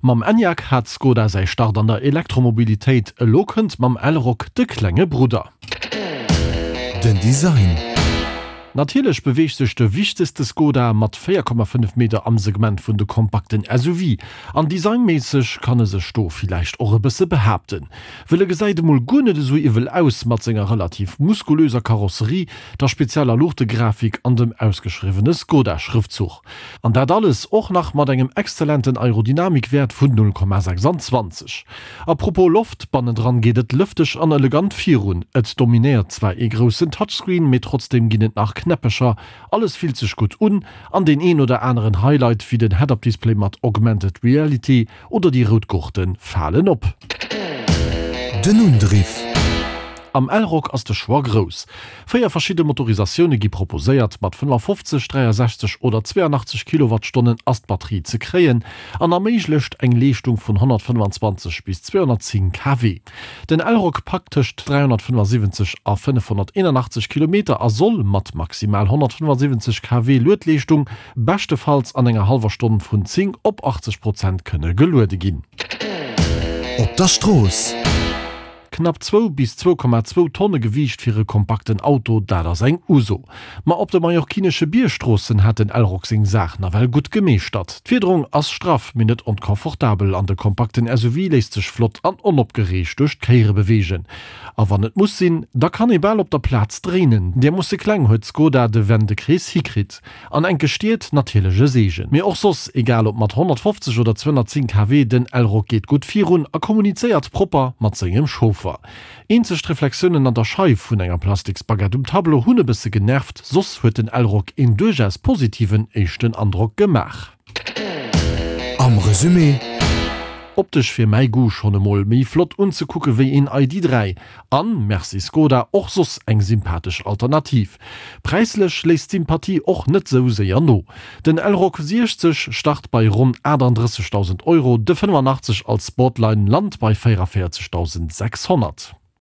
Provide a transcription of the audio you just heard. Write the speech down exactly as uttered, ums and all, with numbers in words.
Mam Enyaq hat Skoda säi Start an der Elektromobilitéit, elo kënnt mam Elroq de klenge Brudder. Den Design. Natierlech beweegt sech de wichtegste Skoda mat véier Komma fënnef Meter am Segment vun de kompakten S U V, an designméisseg kann e sech do villäicht och e bësse behaapten, wëll e gesäit emol guer net esou iwwel aus mat senger relativ muskulöser Karosserie, der spezieller Luuchtegrafik an dem ausgeschriwwene Skoda-Schrëftzuch. An dat alles och nach mat engem exzellenten Aerodynamikwäert vun null Komma sechsanzwanzeg. A propos Loft, bannendran geet et lëfteg an elegant virun. Et dominéiert zwar ee groussen Touchscreen, mee trotzdeem ginn et nach Knäppecher, alles fillt sech gutt un an deen een oder aneren Highlight wéi den Head-Up-Display mat Augmented Reality oder déi rout Gurte falen op. Den Undriff. Am Elroq ass de Choix grouss. Véier verschidde Motorisatioune gi proposéiert, mat fënnefafofzeg, dräiasechzeg oder zweianachtzeg Kilowattstonnen ass d'Batterie ze kréien an erméiglecht eng Leeschtung vun honnertfënnefanzwanzeg bis zweehonnertzéng K W. Den Elroq packt tëscht dräihonnertfënnefasiwwenzeg a fënnefhonnerteenanachtzeg Kilometer a soll mat maximal honnertfënnefasiwwenzeg K W Luedleeschtung beschtefalls an enger hallwer Stonn vun zéng op achtzeg Prozent kënne geluede ginn. Op der Strooss. Knapp zwou bis zwou Komma zwou Tonne Gewiicht fir e kompakten Auto, dat ass eng Uso. Ma op de mallorquinesche Biergstroossen hat den Elroq seng Saach nawell gutt gemeeschtert. D'Fiederung ass straff, mee net onkomfortabel an de kompakten S U V léisst sech flott an onopgereegt duerch d'Kéiere beweegen. A wann et muss sinn, da kann ee bal op der Plaz dréinen. Därmoosse kleng huet Skoda de Wendekrees hikritt. An enke Stied natierlech e Seegen. Mee och soss, egal ob mat honnertfofzeg oder zweehonnertzéng K W, den Elroq geet gutt virun a kommunizéiert propper mat sengem Chauffer. Eenzeg d'Reflexiounen an der Scheif vun enger Plastiksbaguette um Tableau hunn e bësse genervt, soss huet den Elroq een duerchaus positiven éischten Androck gemaach. Am Resumé. Optesch fir mäi Goût schonn emol méi flott unzekucke wéi een I D dräi. An, merci Skoda, och soss eng sympathesch Alternativ. Präislech léisst d'Sympathie och net sou séier no. Den Elroq siechzeg start bei ronn achtandrëssegdausend Euro, de fënnefanachtzeg als Sportline lant bei véierundvéierzegdausendsechshonnert.